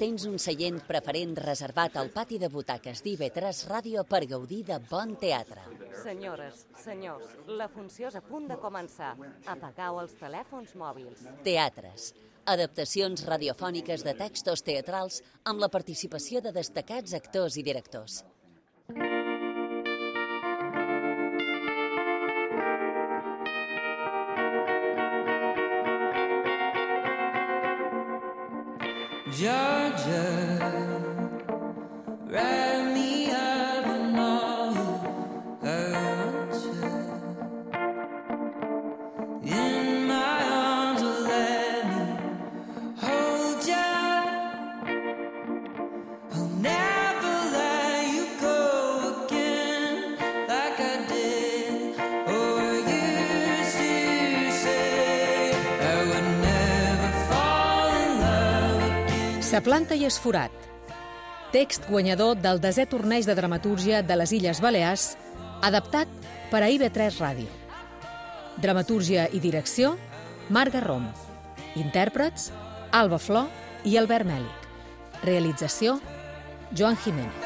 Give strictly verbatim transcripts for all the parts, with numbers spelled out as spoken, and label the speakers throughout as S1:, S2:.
S1: Tens un seient preferent reservat al pati de butaques d'I V tres Ràdio per gaudir de bon teatre.
S2: Senyores, senyors, la funció és a punt de començar. Apagueu els telèfons mòbils.
S1: Teatres. Adaptacions radiofòniques de textos teatrals amb la participació de destacats actors i directors.
S3: Georgia, write me up and all I want you in my arms, or let me hold you. I'll never let you go again like I did or used to say. I would never fall in love again.
S4: Sa planta i esforat. Text guanyador del desè torneig de dramatúrgia de les Illes Balears, adaptat per a I V tres Ràdio. Dramatúrgia i direcció, Marc Garrom. Intèrprets, Alba Flor i Albert Mèlic. Realització, Joan Jiménez.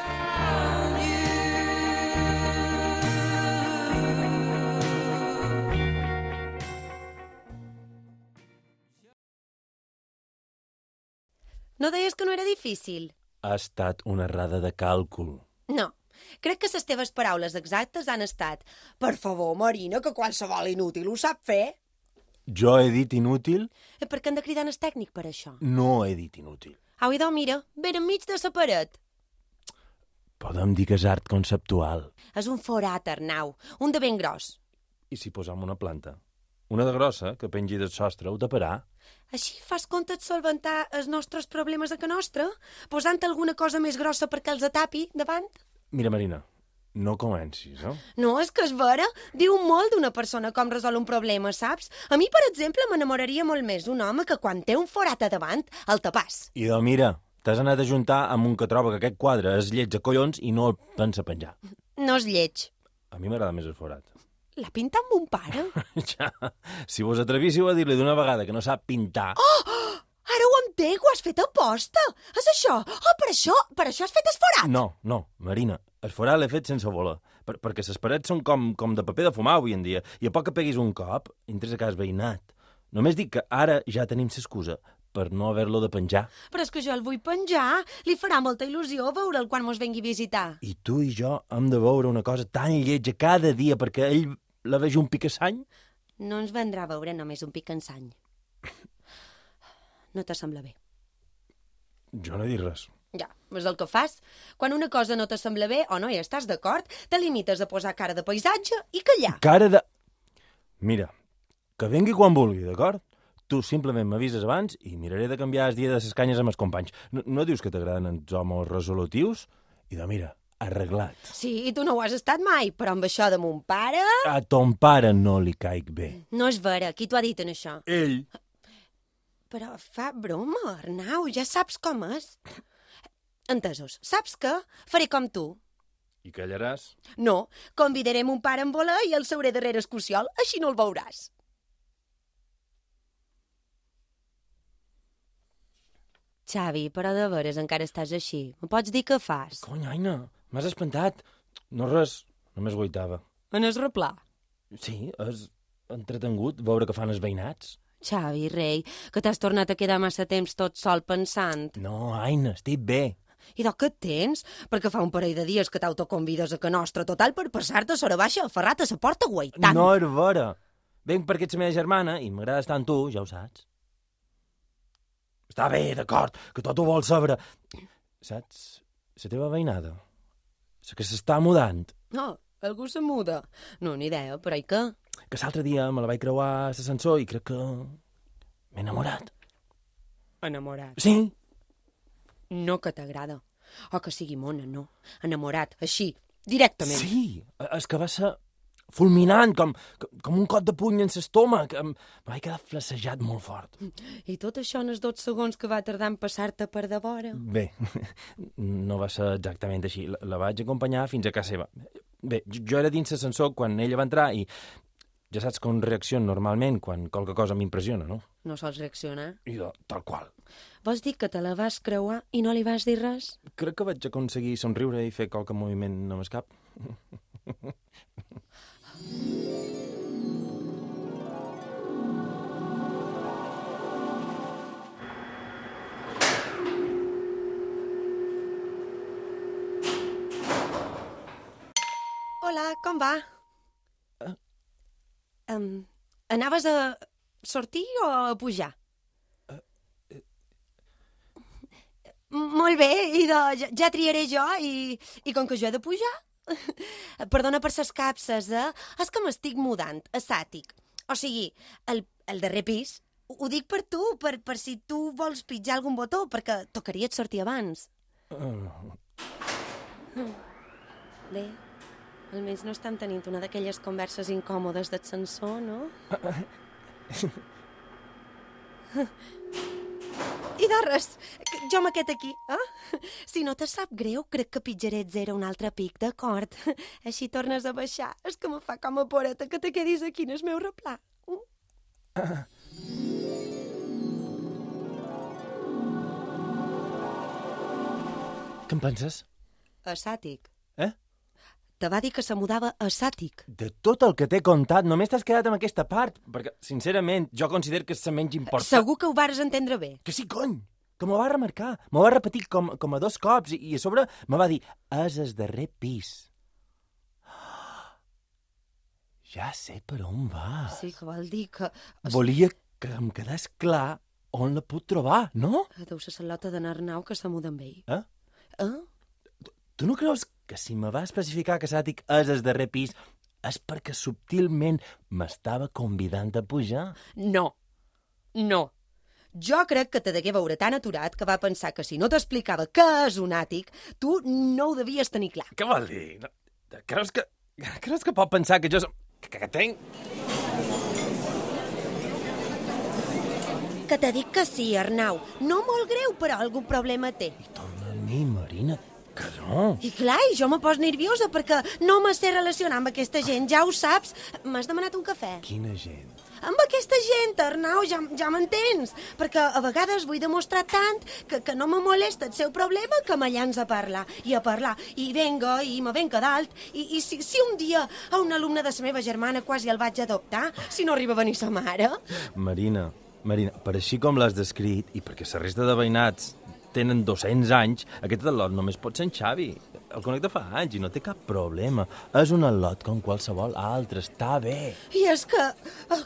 S5: No deies que no era difícil?
S6: Ha estat una errada de càlcul.
S5: No. Crec que les teves paraules exactes han estat: per favor, Marina, que qualsevol inútil ho sap fer.
S6: Jo he dit inútil?
S5: Eh, per què han de cridar en el tècnic per això?
S6: No he dit inútil.
S5: Au, idò, mira, ben enmig de la paret.
S6: Podem dir que és art conceptual.
S5: És un forat, Arnau, un de ben gros.
S6: I si posam una planta? Una de grossa, que pengi del sostre, ho taparà?
S5: Així fas compte de solventar els nostres problemes a que nostra? Posant alguna cosa més grossa perquè els atapi davant?
S6: Mira, Marina, no comencis, eh?
S5: No, és que és vera. Diu molt d'una persona com resol un problema, saps? A mi, per exemple, m'enamoraria molt més d'un home que quan té un forat a davant el tapàs.
S6: I doncs mira, t'has anat a juntar amb un que troba que aquest quadre és lleig a collons i no el pensa penjar.
S5: No és lleig.
S6: A mi m'agrada més el forat.
S5: L'ha pintat mon pare?
S6: Ja, si vos atrevíssiu a dir-li d'una vegada que no sap pintar...
S5: Oh! Ara ho entenc, ho has fet a posta. És això? Oh, per això, per això has fet esforat?
S6: No, no, Marina, el forat l'he fet sense voler, per, perquè les parets són com, com de paper de fumar avui en dia, i a poc que peguis un cop, entres a cas veïnat. Només dic que ara ja tenim l'excusa per no haver-lo de penjar.
S5: Però és que jo el vull penjar. Li farà molta il·lusió veure'l quan mos vengui a visitar.
S6: I tu i jo hem de veure una cosa tan lletja cada dia perquè ell la vegi un picassany?
S5: No ens vendrà a veure només un picassany. No te sembla bé?
S6: Jo no he dit res.
S5: Ja, és el que fas. Quan una cosa no te sembla bé o no hi estàs d'acord, te limites a posar cara de paisatge i callar.
S6: Cara de... Mira, que vengui quan vulgui, d'acord? Tu simplement m'avises abans i miraré de canviar el dia de les canyes amb els companys. No, no dius que t'agraden els homes resolutius? I de mira, arreglat.
S5: Sí, i tu no ho has estat mai, però amb això de mon pare...
S6: A ton pare no li caic bé.
S5: No és vera, qui t'ho ha dit en això?
S6: Ell.
S5: Però fa broma, Arnau, ja saps com és. Entesos, saps què? Faré com tu.
S6: I callaràs?
S5: No, convidaré mon pare en voler i el seuré darrere el cociol, així no el veuràs. Xavi, però de veres encara estàs així. Me pots dir què fas?
S6: Cony, Aina, m'has espantat. No res, només guaitava.
S5: En el replà?
S6: Sí, és entretengut veure què fan els veïnats.
S5: Xavi, rei, que t'has tornat a quedar massa temps tot sol pensant.
S6: No, Aina, estic bé.
S5: I de què et tens? Perquè fa un parell de dies que t'autoconvides a que nostra, total per passar-te a sora baixa aferrat a la porta guaitant.
S6: No és vera. Venc perquè ets la meva germana i m'agrada estar amb tu, ja ho saps. Està bé, d'acord, que tot ho vols saber. Saps? La teva veïnada. La que s'està mudant.
S5: No, algú se muda. No, ni idea, però i què?
S6: Que l'altre dia me la vaig creuar a l'ascensor i crec que m'he enamorat.
S5: Enamorat?
S6: Sí.
S5: No que t'agrada. O que sigui mona, no. Enamorat, així, directament.
S6: Sí, és que va ser fulminant, com, com un cot de puny en l'estómac. Em vaig quedar flacejat molt fort.
S5: I tot això en els dos segons que va tardar en passar-te per de vora?
S6: Bé, no va ser exactament així. La, la vaig acompanyar fins a casa seva. Bé, jo era dins l'ascensor quan ella va entrar i ja saps com reacciono normalment quan qualque cosa m'impressiona, no?
S5: No sols reaccionar?
S6: I jo, tal qual.
S5: Vols dir que te la vas creuar i no li vas dir res?
S6: Crec que vaig aconseguir somriure i fer qualque moviment amb el cap.
S5: Hola, com va?
S6: Uh.
S5: Um, anaves a sortir o a pujar?
S6: Uh, uh.
S5: Molt bé, i de, ja, ja triaré jo, i, i com que jo he de pujar... Perdona per ses capses, eh? És que m'estic mudant, a Sàtic. O sigui, el, el darrer pis. Ho dic per tu, per, per si tu vols pitjar algun botó, perquè tocaria et sortir abans.
S6: Uh.
S5: Bé... Almenys no estan tenint una d'aquelles converses incòmodes d'ascensor, no? I de res, jo m'aquest aquí, eh? Si no te sap greu, crec que pitjaré et zero un altre pic, d'acord? Així tornes a baixar. És que me fa com a poreta que te quedis aquí en el meu replà. Uh.
S6: Què en penses?
S5: A Sàtic.
S6: Eh?
S5: Te va dir que se mudava a Sàtic.
S6: De tot el que t'he contat, només t'has quedat amb aquesta part, perquè, sincerament, jo considero que és la menys important.
S5: Segur que ho vares entendre bé.
S6: Que sí, cony! Que m'ho va remarcar. M'ho va repetir com, com a dos cops i, i a sobre me va dir és el darrer pis. Ja sé per on va.
S5: Sí, que vol dir que...
S6: Volia que em quedés clar on la puc trobar, no?
S5: Deu ser la lota d'en Arnau que se muda amb ell.
S6: Eh?
S5: Eh?
S6: Tu, tu no creus que si me va especificar que Sàtic és el darrer pis és perquè subtilment m'estava convidant a pujar?
S5: No. No. Jo crec que te degué veure tan aturat que va pensar que si no t'explicava què és un àtic, tu no ho devies tenir clar.
S6: Què vol dir? No, creus que, creus que pot pensar que jo som... Que, que tenc...
S5: Que te dic que sí, Arnau. No molt greu, però algun problema té.
S6: I torna a mi, Marina, que no.
S5: I clar, i jo me pos nerviosa perquè no me sé relacionar amb aquesta gent, ja ho saps. M'has demanat un cafè?
S6: Quina gent?
S5: Amb aquesta gent, Arnau, ja, ja m'entens. Perquè a vegades vull demostrar tant que, que no me molesta el seu problema que me llanç a parlar. I a parlar. I venga, i me venga dalt. I, i si, si un dia a un alumne de la meva germana quasi el vaig adoptar, si no arriba a venir sa mare...
S6: Marina, Marina, per així com l'has descrit, i perquè la resta de veïnats tenen dos-cents anys, aquest al·lot només pot ser en Xavi. El conec de fa anys i no té cap problema. És un al·lot com qualsevol altre, està bé.
S5: I és que,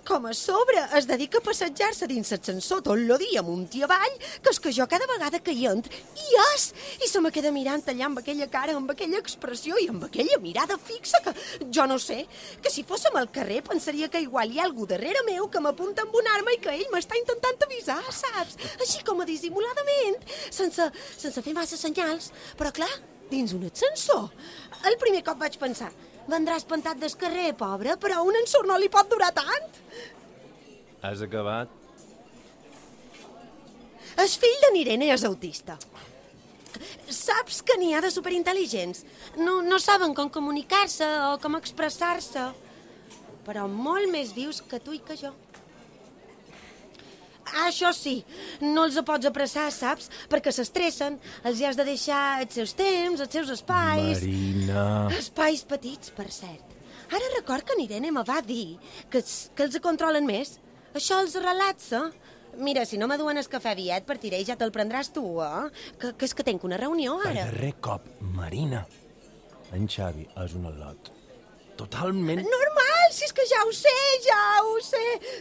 S5: com a sobre, es dedica a passejar-se dins l'ascensor tot el dia amunt i avall, que és que jo cada vegada que hi entro, hi és! I se me queda mirant allà amb aquella cara, amb aquella expressió i amb aquella mirada fixa que, jo no sé, que si fóssim al carrer pensaria que igual hi ha algú darrere meu que m'apunta amb una arma i que ell m'està intentant avisar, saps? Així com a dissimuladament, sense, sense fer massa senyals, però clar, dins un ascensor. El primer cop vaig pensar, vendrà espantat del carrer, pobre, però un ensurt no li pot durar tant.
S6: Has acabat?
S5: El fill de n'Irene és autista. Saps que n'hi ha de superintel·ligents. No, no saben com comunicar-se o com expressar-se, però molt més vius que tu i que jo. Això sí, no els pots apressar, saps? Perquè s'estressen, els hi has de deixar els seus temps, els seus espais...
S6: Marina...
S5: Espais petits, per cert. Ara record que n'Irene me va dir que, que els controlen més. Això els relaxa. Mira, si no m'aduen el cafè aviat per tirar i ja te'l prendràs tu, eh? Que, que és que tenc una reunió
S6: Per
S5: ara.
S6: darrer cop, Marina. En Xavi és un al·lot. Totalment...
S5: Normal, si és que ja ho sé, ja ho sé.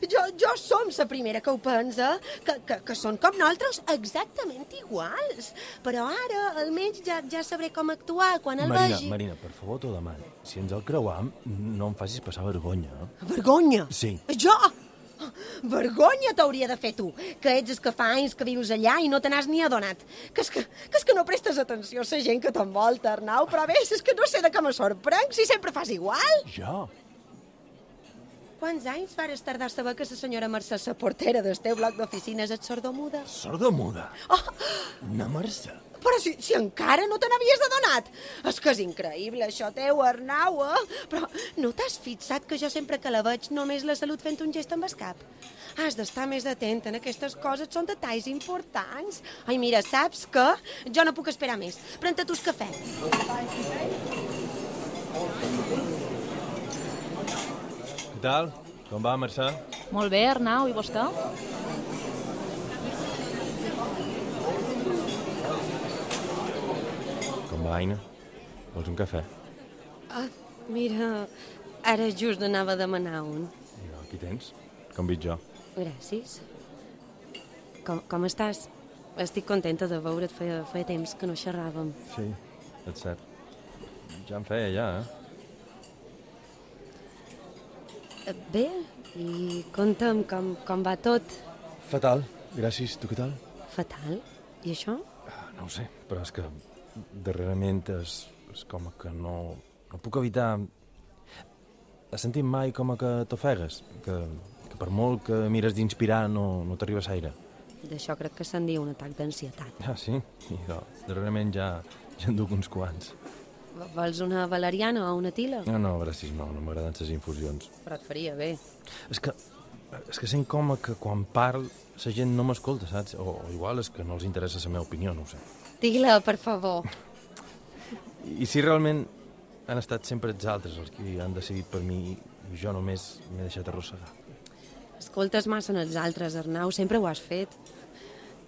S5: Jo, jo som la primera que ho pensa, que, que, que són com nosaltres exactament iguals. Però ara, almenys, ja, ja sabré com actuar quan el
S6: Marina,
S5: vegi.
S6: Marina, per favor, t'ho demano. Si ens el creuam, no em facis passar vergonya. Eh?
S5: Vergonya?
S6: Sí.
S5: Jo? Vergonya t'hauria de fer tu, que ets el que fa anys que vius allà i no te n'has ni adonat. Que és que, que és que no prestes atenció a la gent que t'envolta, Arnau, però bé, és que no sé de què me sorprenc, si sempre fas igual.
S6: Jo?
S5: Quants anys vares tardar a saber que la senyora Mercè, la portera del teu bloc d'oficines, és sordomuda?
S6: Sordomuda?
S5: Oh,
S6: Una Mercè?
S5: però si, si encara no te n'havies adonat. És que és increïble, això teu, Arnau, eh? Però no t'has fixat que jo sempre que la veig només la salut fent un gest amb el cap? Has d'estar més atent en aquestes coses, són detalls importants. Ai, mira, saps què? Jo no puc esperar més. Pren-te tu el cafè.
S6: Què tal? Com va, Mercè?
S7: Molt bé, Arnau, i vostè?
S6: Com va, Aina? Vols un cafè?
S5: Ah, mira, ara just anava a demanar un.
S6: No, aquí tens. Com veig jo.
S5: Gràcies. Com, com estàs? Estic contenta de veure't, feia, feia temps que no xerràvem.
S6: Sí, és cert. Ja em feia, ja, eh?
S5: Bé, i conta'm com, com va tot.
S6: Fatal, gràcies. Tu què tal?
S5: Fatal? I això?
S6: Ah, no ho sé, però és que darrerament és, és com que no, no puc evitar... Has sentit mai com que t'ofegues? Que, que per molt que mires d'inspirar no, no t'arriba aire.
S5: D'això crec que se'n diu un atac d'ansietat.
S6: Ah, sí? I jo, darrerament ja, ja en duc uns quants.
S5: Vols una valeriana o una tila?
S6: No, no, gràcies, no, no m'agraden les infusions.
S5: Però et faria bé.
S6: És que, és que sent com que quan parl la gent no m'escolta, saps? O, o igual és que no els interessa la meva opinió, no ho sé.
S5: Digue-la, per favor.
S6: I si realment han estat sempre els altres els que han decidit per mi i jo només m'he deixat arrossegar.
S5: Escoltes massa en els altres, Arnau, sempre ho has fet.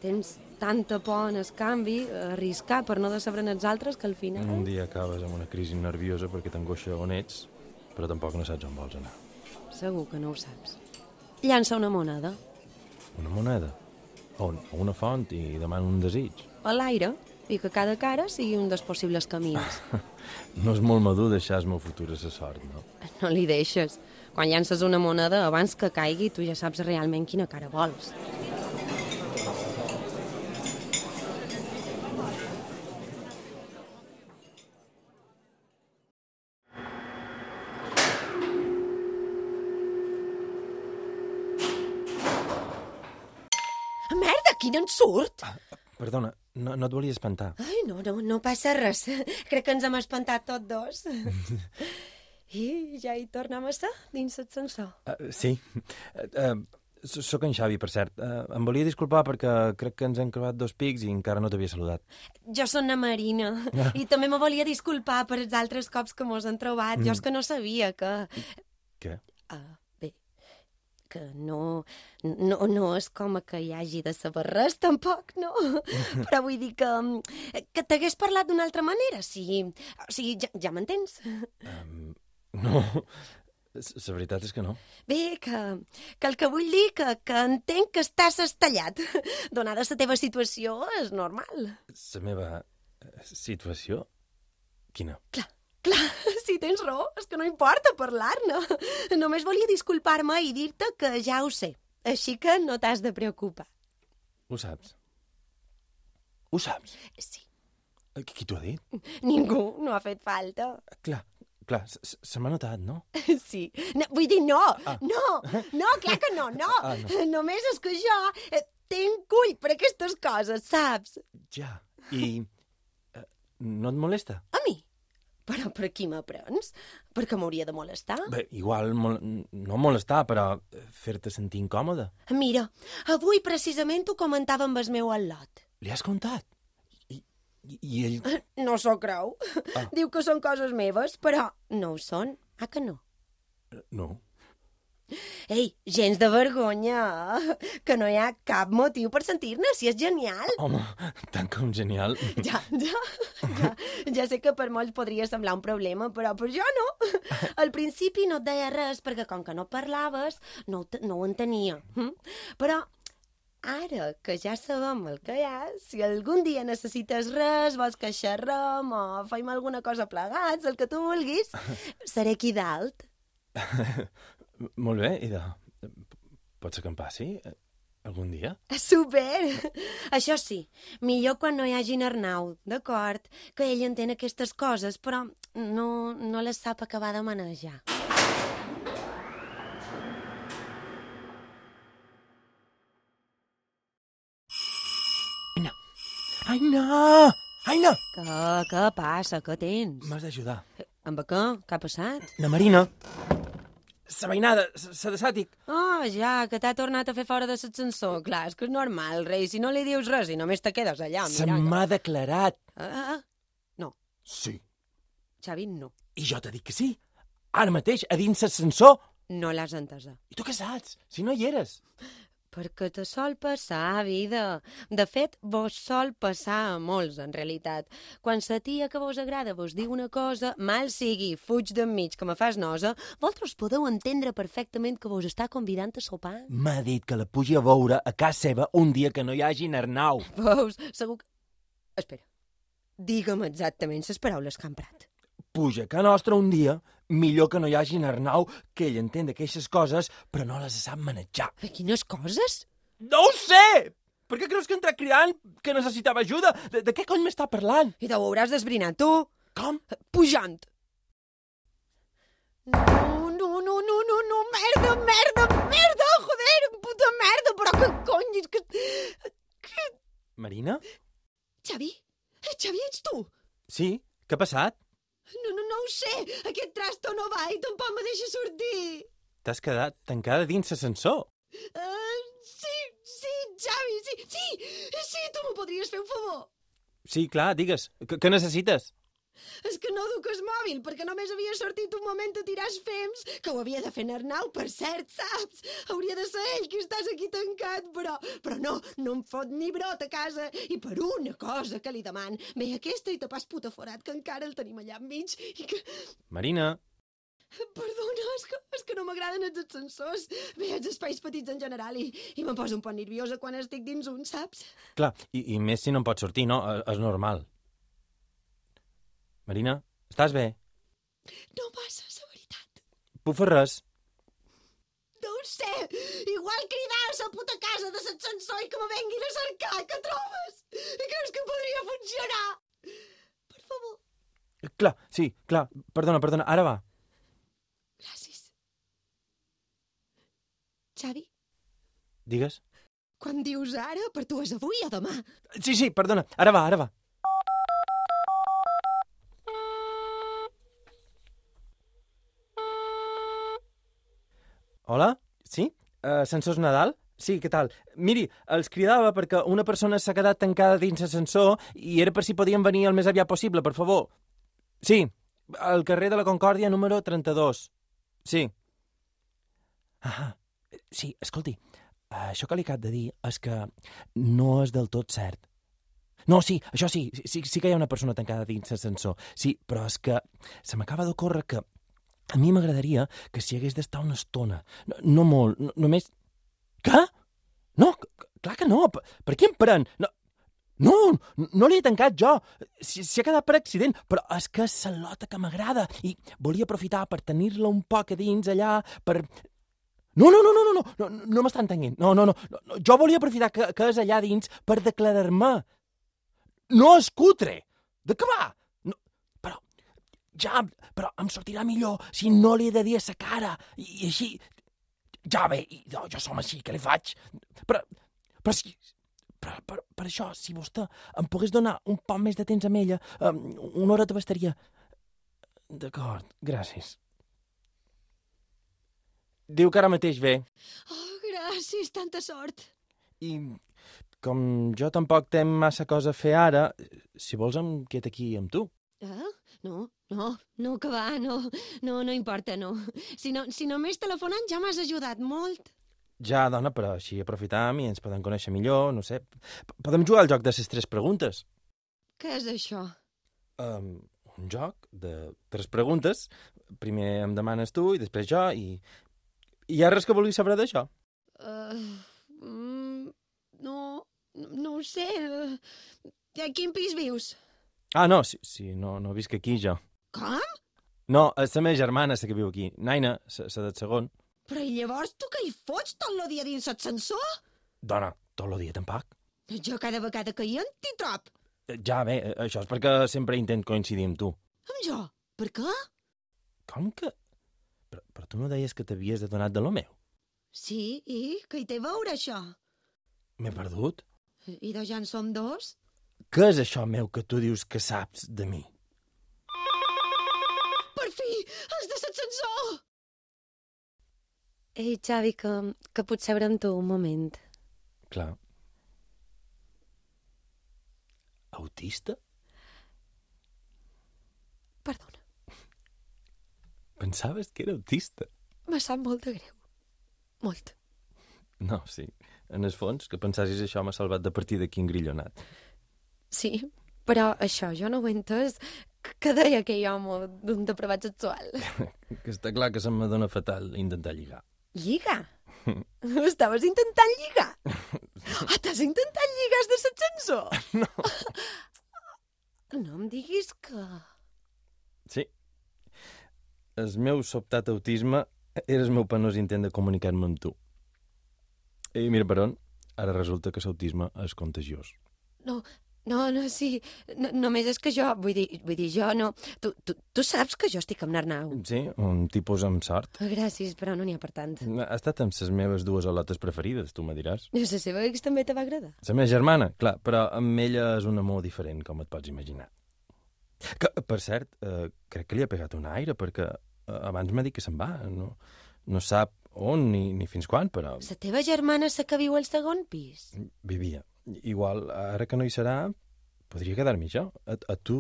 S5: Tens tanta por en el canvi, a arriscar per no decebre en els altres, que al final...
S6: Un dia acabes amb una crisi nerviosa perquè t'angoixa on ets, però tampoc no saps on vols anar.
S5: Segur que no ho saps. Llança una moneda.
S6: Una moneda? On? A una font i demana un desig?
S5: A l'aire, i que cada cara sigui un dels possibles camins.
S6: No és molt madur deixar el meu futur a la sort, no?
S5: No li deixes. Quan llances una moneda, abans que caigui, tu ja saps realment quina cara vols. Merda, quin ensurt!
S6: Ah, perdona, no, no et volia espantar.
S5: Ai, no, no, no passa res. Crec que ens hem espantat tots dos. I ja hi tornem a ser, dins l'ascensor.
S6: Uh, sí. Uh, uh, Soc en Xavi, per cert. Uh, em volia disculpar perquè crec que ens hem creuat dos pics i encara no t'havia saludat.
S5: Jo soc na Marina. Ah. I també me volia disculpar per els altres cops que mos han trobat. Mm. Jo és que no sabia que...
S6: Què?
S5: Uh, bé, que no, no, no és com que hi hagi de saber res, tampoc, no? Però vull dir que, que t'hagués parlat d'una altra manera, si... O sigui, ja, ja m'entens?
S6: Um, no, la veritat és que no.
S5: Bé, que, que el que vull dir que, que entenc que estàs estallat. Donada la teva situació, és normal.
S6: La meva situació? Quina?
S5: Clar, clar, si tens raó, és que no importa parlar-ne. Només volia disculpar-me i dir-te que ja ho sé. Així que no t'has de preocupar.
S6: Ho saps? Ho saps?
S5: Sí.
S6: Qui t'ho ha dit?
S5: Ningú, no ha fet falta.
S6: Clar, clar, se m'ha notat, no?
S5: Sí. No, vull dir, no,
S6: ah.
S5: no, no, clar que no, no.
S6: Ah, no.
S5: Només és que jo tenc cull per aquestes coses, saps?
S6: Ja, i eh, no et molesta?
S5: A mi? Però per qui m'aprens? Perquè m'hauria de molestar?
S6: Bé, igual mol no molestar, però fer-te sentir incòmode.
S5: Mira, avui precisament ho comentava amb el meu al·lot.
S6: Li has contat? I, i, i ell...
S5: No s'ho creu. Ah. Diu que són coses meves, però no ho són. Ah, que no?
S6: No.
S5: Ei, gens de vergonya, que no hi ha cap motiu per sentir-ne, si és genial.
S6: Home, tant com genial.
S5: Ja, ja, ja, ja sé que per molts podria semblar un problema, però per jo no. Al principi no et deia res, perquè com que no parlaves, no, no ho entenia. Però ara que ja sabem el que hi ha, si algun dia necessites res, vols que xerrem o fem alguna cosa plegats, el que tu vulguis, seré aquí dalt.
S6: Molt bé, i de... Pot ser que em passi algun dia?
S5: Super! Això sí, millor quan no hi hagi en Arnau, d'acord? Que ell entén aquestes coses, però no, no les sap acabar de manejar.
S6: Aina! Aina! Aina!
S5: Què, què passa? Què tens?
S6: M'has d'ajudar.
S5: Amb què? Què ha passat?
S6: Na Marina la veïnada, la de Sàtic.
S5: Oh, ja, que t'ha tornat a fer fora de l'ascensor. Clar, és que és normal, rei, si no li dius res i només te quedes allà
S6: Se
S5: mirant.
S6: m'ha declarat.
S5: Ah, ah, no,
S6: Sí.
S5: Xavi, no.
S6: I jo t'he dit que sí. Ara mateix, a dins l'ascensor.
S5: No l'has entesa.
S6: I tu què saps? Si no hi eres.
S5: Perquè te sol passar, vida. De fet, vos sol passar a molts, en realitat. Quan la tia que vos agrada vos diu una cosa, mal sigui, fuig d'enmig, que me fas nosa, vosaltres podeu entendre perfectament que vos està convidant a sopar.
S6: M'ha dit que la pugi a veure a casa seva un dia que no hi hagi Arnau.
S5: Veus, segur que... Espera, digue'm exactament les paraules que han emprat.
S6: Puja a casa nostra un dia, millor que no hi hagi Arnau, que ell entén d'aquestes coses, però no les sap manejar.
S5: De quines coses?
S6: No ho sé! Per què creus que entra cridant que necessitava ajuda? De, de què cony m'està parlant?
S5: I t'ho hauràs d'esbrinar, tu.
S6: Com?
S5: Pujant. No, no, no, no, no, no, merda, merda, merda, joder, puta merda, però que cony, és que... que...
S6: Marina?
S5: Xavi? Xavi, ets tu?
S6: Sí? Què ha passat?
S5: No, no, no ho sé, aquest trasto no va i tampoc me deixa sortir.
S6: T'has quedat tancada dins l'ascensor.
S5: Uh, sí, sí, Xavi, sí, sí, sí, tu m'ho podries fer un favor.
S6: Sí, clar, digues. Què, què necessites?
S5: És que no duc el mòbil, perquè només havia sortit un moment a tirar els fems, que ho havia de fer en Arnau, per cert, saps? Hauria de ser ell que estàs aquí tancat, però, però no, no em fot ni brot a casa, i per una cosa que li deman, ve aquesta i te pas puta forat, que encara el tenim allà enmig, i que...
S6: Marina,
S5: Perdona, és que, és que no m'agraden els ascensors, bé, els espais petits en general, i, i me'n poso un poc nerviosa quan estic dins un, saps?
S6: clar, i, i més si no em pots sortir, no? És, és normal. Marina, estàs bé?
S5: No passa, la veritat.
S6: Puc fer res?
S5: No ho sé, igual cridar a la puta casa de l'ascensor i que me venguin a cercar, què trobes? Creus que podria funcionar? Per favor.
S6: Clar, sí, clar. Perdona, perdona, ara va.
S5: Gràcies. Xavi,
S6: Digues.
S5: quan dius ara, per tu és avui o demà?
S6: Sí, sí, perdona, ara va, ara va. Hola? Sí? Uh, Ascensors Nadal? Sí, què tal? Miri, els cridava perquè una persona s'ha quedat tancada dins l'ascensor i era per si podien venir el més aviat possible, per favor. Sí, al carrer de la Concòrdia número trenta-dos. Sí. Ah, sí, escolti, això que li acabo de dir és que no és del tot cert. No, sí, això sí, sí, sí que hi ha una persona tancada dins l'ascensor. Sí, però és que se m'acaba d'ocórrer que a mi m'agradaria que s'hi hagués d'estar una estona. No, no molt, no, només... Què? No, c- clar que no. Per, per què em pren? No, no, no li he tancat jo. S'hi s'hi ha quedat per accident, però és que és la lota que m'agrada i volia aprofitar per tenir-la un poc a dins allà, per... No, no, no, no, no, no, no, no m'està entenent. No, no, no, no, jo volia aprofitar que, que és allà dins per declarar-me. No és cutre. De què va? No, però, ja, però em sortirà millor si no li he de dir a sa cara. I, i així... Ja bé, i, jo, jo som així, què li faig? Però, però si... Per, per, per això, si vostè em pogués donar un poc més de temps amb ella, um, una hora te bastaria. D'acord, gràcies. Diu que ara mateix ve.
S5: Oh, gràcies, tanta sort.
S6: I com jo tampoc tenc massa cosa a fer ara, si vols em quedo aquí amb tu.
S5: Ah, no, no, no, que va, no, no, no importa, no. Si, no, si només telefonant ja m'has ajudat molt.
S6: Ja, dona, però així aprofitam i ens podem conèixer millor, no sé. P- Podem jugar al joc de les tres preguntes.
S5: Què és això?
S6: Um, un joc de tres preguntes. Primer em demanes tu i després jo i... I hi ha res que vulguis saber d'això?
S5: Uh, mm, no, no ho sé. Uh, a quin pis vius?
S6: Ah, no, sí, sí no, no visc aquí, jo.
S5: Com?
S6: No, és la meva germana, la que viu aquí. Naina, la del segon.
S5: Però i llavors tu què hi fots tot el dia dins l'ascensor?
S6: Dona, tot el dia tampoc.
S5: Jo cada vegada que hi entro t'hi trob.
S6: Ja, bé, això és perquè sempre intent coincidir amb tu.
S5: Amb jo? Per què?
S6: Com que... Però, però tu no deies que t'havies adonat de lo meu?
S5: Sí, i què hi té a veure, això?
S6: M'he perdut?
S5: I de ja en som dos?
S6: Què és això meu que tu dius que saps de mi?
S5: Per fi! Els de l'ascensor! Ei, Xavi, que, que puc seure amb tu un moment.
S6: Clar. Autista?
S5: Perdona,
S6: Pensaves que era autista?
S5: me sap molt de greu. Molt.
S6: No, sí. En el fons, que pensassis això m'ha salvat de partir d'aquí engrillonat.
S5: Sí, però això jo no ho he entès. Què deia aquell home d'un depravat sexual?
S6: Que està clar que se'm dona fatal intentar lligar.
S5: Lligar? Estaves intentant lligar? Ah, t'has intentat lligar de l'ascensor?
S6: No.
S5: No em diguis que...
S6: Sí. El meu sobtat autisme era el meu penós intent de comunicar-me amb tu. I mira per on, ara resulta que l'autisme és contagiós.
S5: No, no, no, sí. No, només és que jo, vull dir, vull dir, jo no... Tu, tu, tu saps que jo estic amb l'Arnau.
S6: Sí, un tipus amb sort.
S5: Gràcies, però no n'hi ha per tant.
S6: Ha estat amb les meves dues olotes preferides, tu me diràs.
S5: La seva ex també te va agradar.
S6: La meva germana, clar, però amb ella és un amor diferent, com et pots imaginar. Que, per cert, eh, crec que li ha pegat un aire, perquè eh, abans m'ha dit que se'n va. No, no sap on ni, ni fins quan, però
S5: La teva germana és la que viu al segon pis?
S6: vivia. Igual, ara que no hi serà, podria quedar-m'hi jo. A, a tu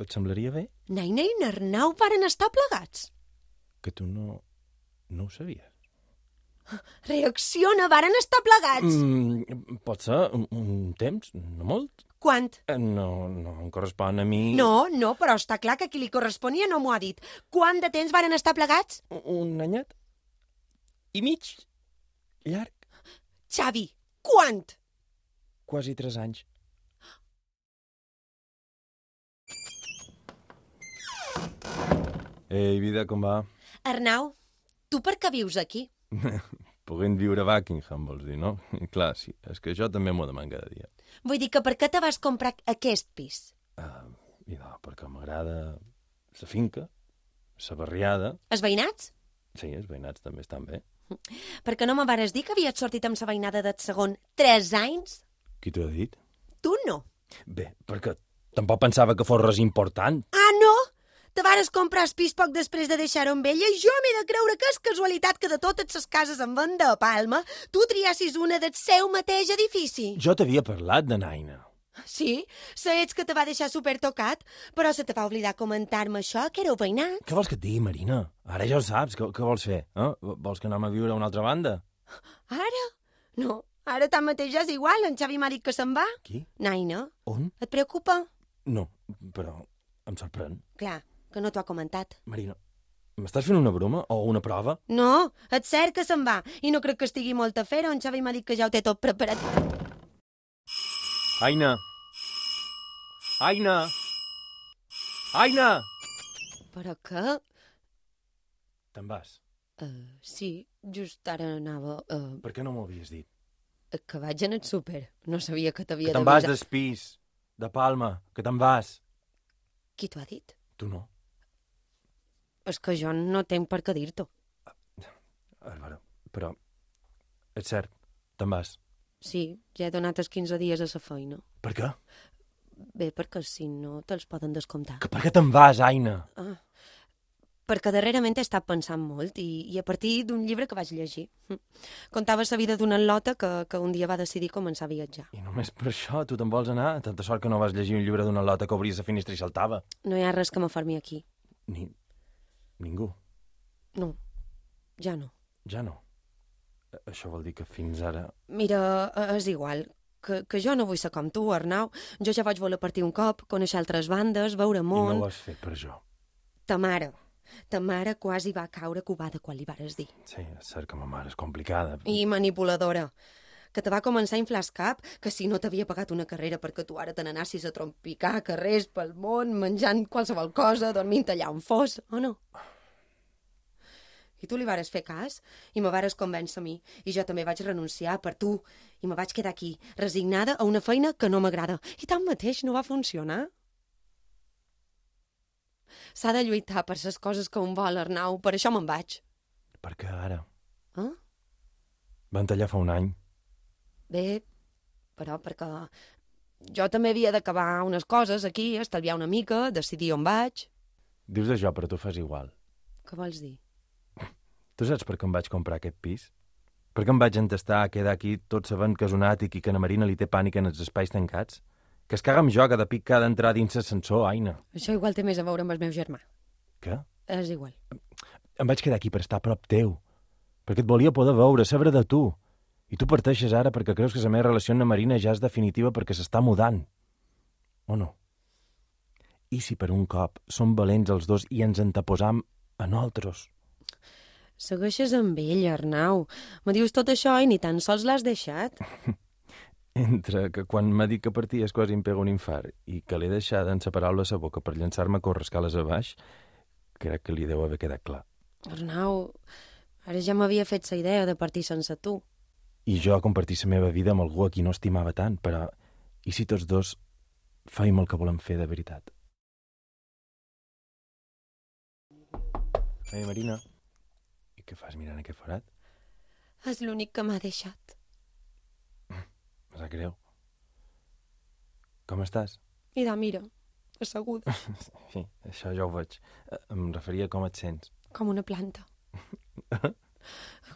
S6: et semblaria bé?
S5: Naina i n'Arnau varen estar plegats.
S6: Que tu no, no ho sabies.
S5: Reacciona, varen estar plegats.
S6: Mm, pot ser un, un temps, no molt.
S5: Quant?
S6: Eh, No, no em correspon a mi...
S5: No, no, però està clar que qui li corresponia no m'ho ha dit. Quant de temps varen estar plegats?
S6: Un anyet? I mig? Llarg?
S5: Xavi, quant?
S6: Quasi tres anys. Ei, vida, com va?
S5: Arnau, tu per què vius aquí?
S6: Podent viure a Buckingham, vols dir, no? I clar, sí, és que jo també m'ho deman cada dia.
S5: Vull dir que per què te vas comprar aquest pis?
S6: Uh, I no, perquè m'agrada la finca, la barriada...
S5: Els veïnats?
S6: Sí, els veïnats també estan bé.
S5: Perquè no me vares dir que havies sortit amb la veïnada del segon tres anys?
S6: Qui t'ho ha dit?
S5: Tu no.
S6: Bé, perquè tampoc pensava que fos res important.
S5: Ah, no? Te vares comprar el pis poc després de deixar-ho amb ella i jo m'he de creure que és casualitat que de totes les cases en venda a Palma tu triassis una del seu mateix edifici.
S6: Jo t'havia parlat de Naina.
S5: Sí, sé ets que te va deixar supertocat, però se te va oblidar comentar-me això, que éreu veïnats.
S6: Què vols que et digui, Marina? Ara ja ho saps. Què, què vols fer? Eh? Vols que anem a viure a una altra banda?
S5: Ara? No, ara tanmateix ja és igual, en Xavi m'ha dit que se'n va.
S6: Qui?
S5: Naina,
S6: On?
S5: et preocupa?
S6: No, però em sorprèn.
S5: Clar, que no t'ho ha comentat.
S6: Marina, m'estàs fent una broma o una prova?
S5: No, és cert que se'n va, i no crec que estigui molt a fer-ho, en Xavi m'ha dit que ja ho té tot preparat.
S6: Aina! Aina! Aina!
S5: Però què?
S6: Te'n vas?
S5: Uh, sí, just ara anava... Uh,
S6: Per què no m'ho havies dit?
S5: que vaig en el súper. No sabia que t'havia
S6: Que te'n vas del pis, de Palma, que te'n vas.
S5: Qui t'ho ha dit?
S6: Tu no.
S5: És que jo no tenc per què dir-t'ho.
S6: Álvaro, però és cert, te'n vas.
S5: Sí, ja he donat els quinze dies a la feina.
S6: Per què?
S5: Bé, perquè si no te'ls poden descomptar.
S6: Que per què te'n vas, Aina?
S5: Ah, perquè darrerament he estat pensant molt i, i a partir d'un llibre que vaig llegir. Hm. Contava la vida d'una atleta que, que un dia va decidir començar a viatjar.
S6: I només per això tu te'n vols anar? Tanta sort que no vas llegir un llibre d'una lota que obria la finestra i saltava.
S5: No hi ha res que m'afermi aquí.
S6: Ni... ningú.
S5: No, ja no.
S6: Ja no. Això vol dir que fins ara...
S5: Mira, és igual, que, que jo no vull ser com tu, Arnau. Jo ja vaig voler partir un cop, conèixer altres bandes, veure món...
S6: I no ho has fet per jo.
S5: Ta mare, ta mare quasi va caure covada quan li vares dir.
S6: Sí, és cert que ma mare és complicada.
S5: I manipuladora, que te va començar a inflar el cap, que si no t'havia pagat una carrera perquè tu ara te n'anassis a trompicar carrers pel món, menjant qualsevol cosa, dormint allà on fos, o no? I tu li vares fer cas, i me vares convèncer a mi, i jo també vaig renunciar per tu, i me vaig quedar aquí, resignada a una feina que no m'agrada. I tanmateix no va funcionar. S'ha de lluitar per les coses que un vol, Arnau, per això me'n vaig.
S6: Per què ara?
S5: Eh?
S6: Van tallar fa un any.
S5: Bé, però perquè jo també havia d'acabar unes coses aquí, estalviar una mica, decidir on vaig.
S6: Dius això, però tu fas igual.
S5: Què vols dir?
S6: Tu saps per què em vaig comprar aquest pis? Per què em vaig entestar a quedar aquí tot sabent que és un àtic i que na Marina li té pànic en els espais tancats? Que es caga amb jo cada pic que ha d'entrar dins l'ascensor, Aina.
S5: Això igual té més a veure amb el meu germà.
S6: Què?
S5: És igual.
S6: Em vaig quedar aquí per estar a prop teu. Perquè et volia poder veure, saber de tu. I tu parteixes ara perquè creus que la meva relació amb la Marina ja és definitiva perquè s'està mudant. O no? I si per un cop som valents els dos i ens anteposam a nosaltres?
S5: Segueixes amb ell, Arnau. Me dius tot això i ni tan sols l'has deixat.
S6: Entre que quan m'ha dit que parties quasi em pega un infart i que l'he deixat en separar-lo a sa boca per llançar-me a córrer escales a baix, crec que li deu haver quedat clar.
S5: Arnau, ara ja m'havia fet la idea de partir sense tu.
S6: I jo a compartir la meva vida amb algú a qui no estimava tant, però i si tots dos fèiem el que volem fer de veritat? Ei, Marina, i què fas mirant aquest forat?
S5: És l'únic que m'ha deixat.
S6: Me sap greu. Com estàs?
S5: Mira, mira, asseguda.
S6: Sí, això ja ho veig. Em referia a com et sents.
S5: Com una planta.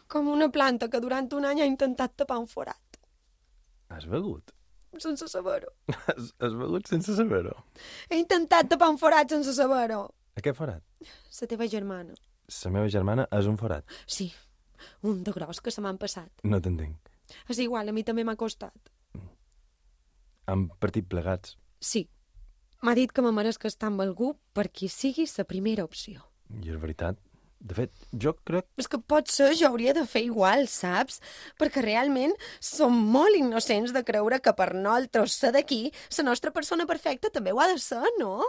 S5: Com una planta que durant un any ha intentat tapar un forat.
S6: Has begut?
S5: Sense saber-ho.
S6: Has, has begut sense saber-ho?
S5: He intentat tapar un forat sense saber-ho.
S6: A què forat?
S5: La teva germana.
S6: La meva germana és un forat.
S5: Sí, un de gros que se m'han passat.
S6: No t'entenc.
S5: És igual, a mi també m'ha costat.
S6: Han partit plegats.
S5: Sí. M'ha dit que me meresc estar amb algú per qui sigui la primera opció.
S6: I és veritat. De fet, jo crec...
S5: És que potser jo hauria de fer igual, saps? Perquè realment som molt innocents de creure que per nosaltres ser d'aquí, la nostra persona perfecta també ho ha de ser, no?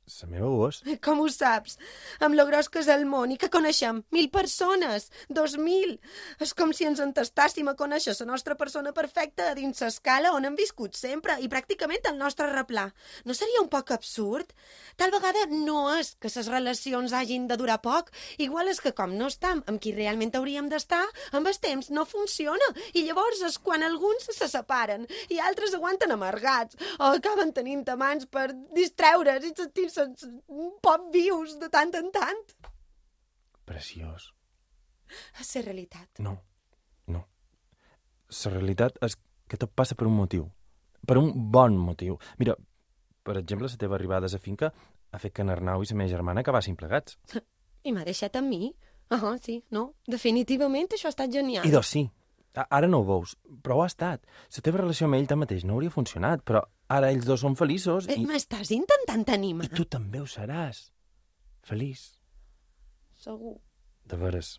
S6: La meva ho és.
S5: Com ho saps? Amb lo gros que és el món i que coneixem mil persones, dos mil. És com si ens entestàssim a conèixer la nostra persona perfecta a dins l'escala on hem viscut sempre i pràcticament el nostre replà. No seria un poc absurd? Tal vegada no és que les relacions hagin de durar poc. Igual és que com no estem amb qui realment hauríem d'estar, amb el temps no funciona. I llavors és quan alguns se separen i altres aguanten amargats o acaben tenint amants per distreure's i sentir un poc vius de tant en tant.
S6: Preciós.
S5: És la realitat.
S6: No, no. La realitat és que tot passa per un motiu. Per un bon motiu. Mira, per exemple, la teva arribada a la finca ha fet que en Arnau i la meva germana acabassin plegats.
S5: I m'ha deixat amb mi? Ah, sí, no. Definitivament això ha estat genial.
S6: I doncs sí. Ara no ho veus, però ho ha estat. La teva relació amb ell tanmateix no hauria funcionat, però ara ells dos són feliços i...
S5: M'estàs intentant animar?
S6: I tu també ho seràs. Feliç.
S5: Segur.
S6: De veres.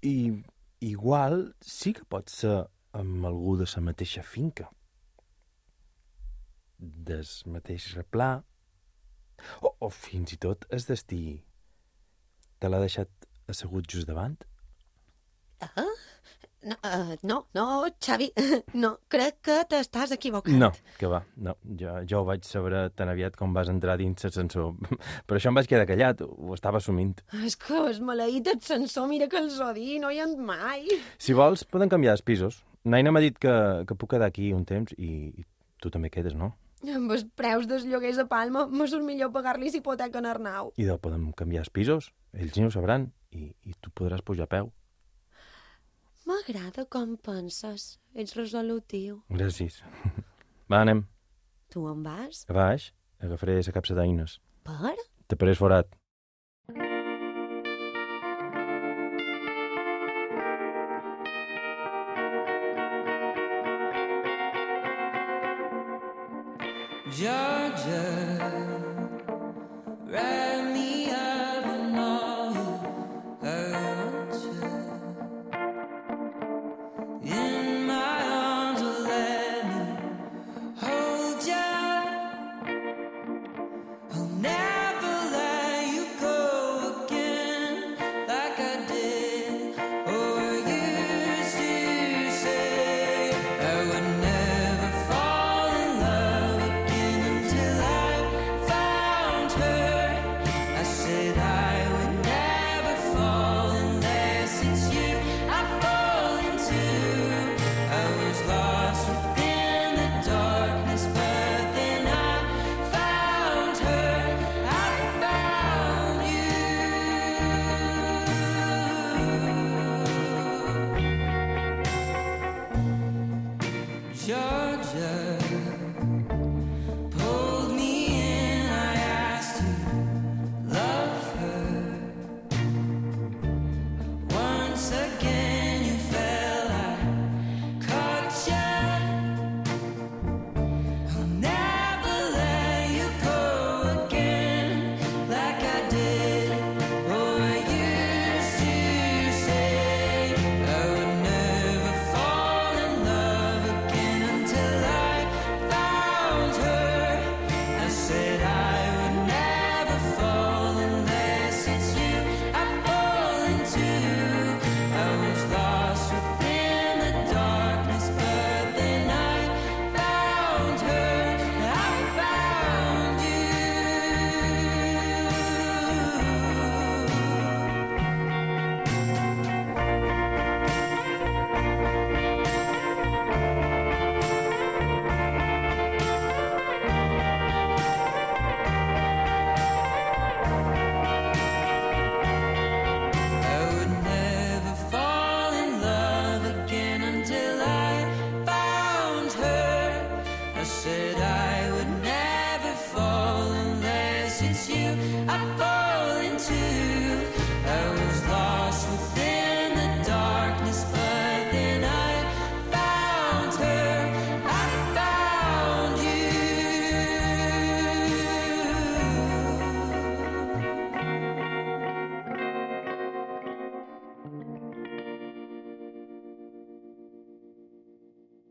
S6: I igual sí que pot ser amb algú de la mateixa finca. Del mateix replà. O, o fins i tot el destí. Te l'ha deixat assegut just davant?
S5: Ah? No, uh, no, no, Xavi, no, crec que t'estàs equivocant.
S6: No, que va, no, jo, jo ho vaig saber tan aviat com vas entrar dins l'ascensor. Per això em vaig quedar callat, ho estava assumint.
S5: És que és maleït ascensor, mira que els odi, no hi ha mai.
S6: Si vols, poden canviar els pisos. Naina m'ha dit que, que puc quedar aquí un temps i, i tu també quedes, no?
S5: Amb els preus dels lloguers a Palma, me surt millor pagar-li hipoteca en Arnau.
S6: I de podem canviar els pisos, ells ni ho sabran, i, i tu podràs pujar a peu.
S5: M'agrada com penses. Ets resolutiu.
S6: Gràcies. Va, anem.
S5: Tu en vas?
S6: A baix, agafaré la capsa d'eines.
S5: Per?
S6: Te parés forat.
S3: Georgia, ride me